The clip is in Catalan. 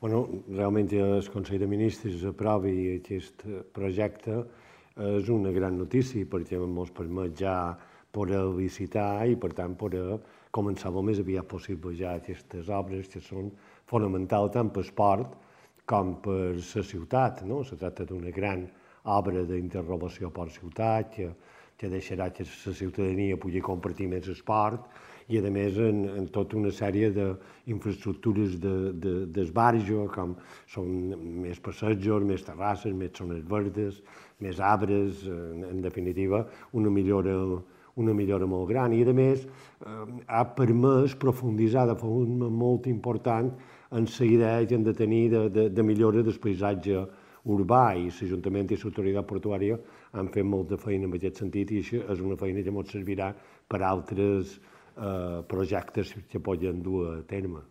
Realment el Consell de Ministres aprovi aquest projecte és una gran notícia perquè ens permet ja poder licitar i, per tant, poder començar el més aviat possible ja aquestes obres que són fonamentals tant per esport com per la ciutat. Se tracta d'una gran obra d'interrelació per ciutat que deixarà que la ciutadania pugui compartir més esport i, a més, en tota una sèrie d'infraestructures d'esbarjo, com són més passejos, més terrasses, més zones verdes, més arbres, en definitiva, una millora molt gran. I, a més, ha permès profunditzar de forma molt important en la idea que hem de tenir de millora del paisatge urbà, i l'Ajuntament i l'Autoritat Portuària han fet molta feina en aquest sentit, i això és una feina que ens servirà per altres projectes que poden dur a terme.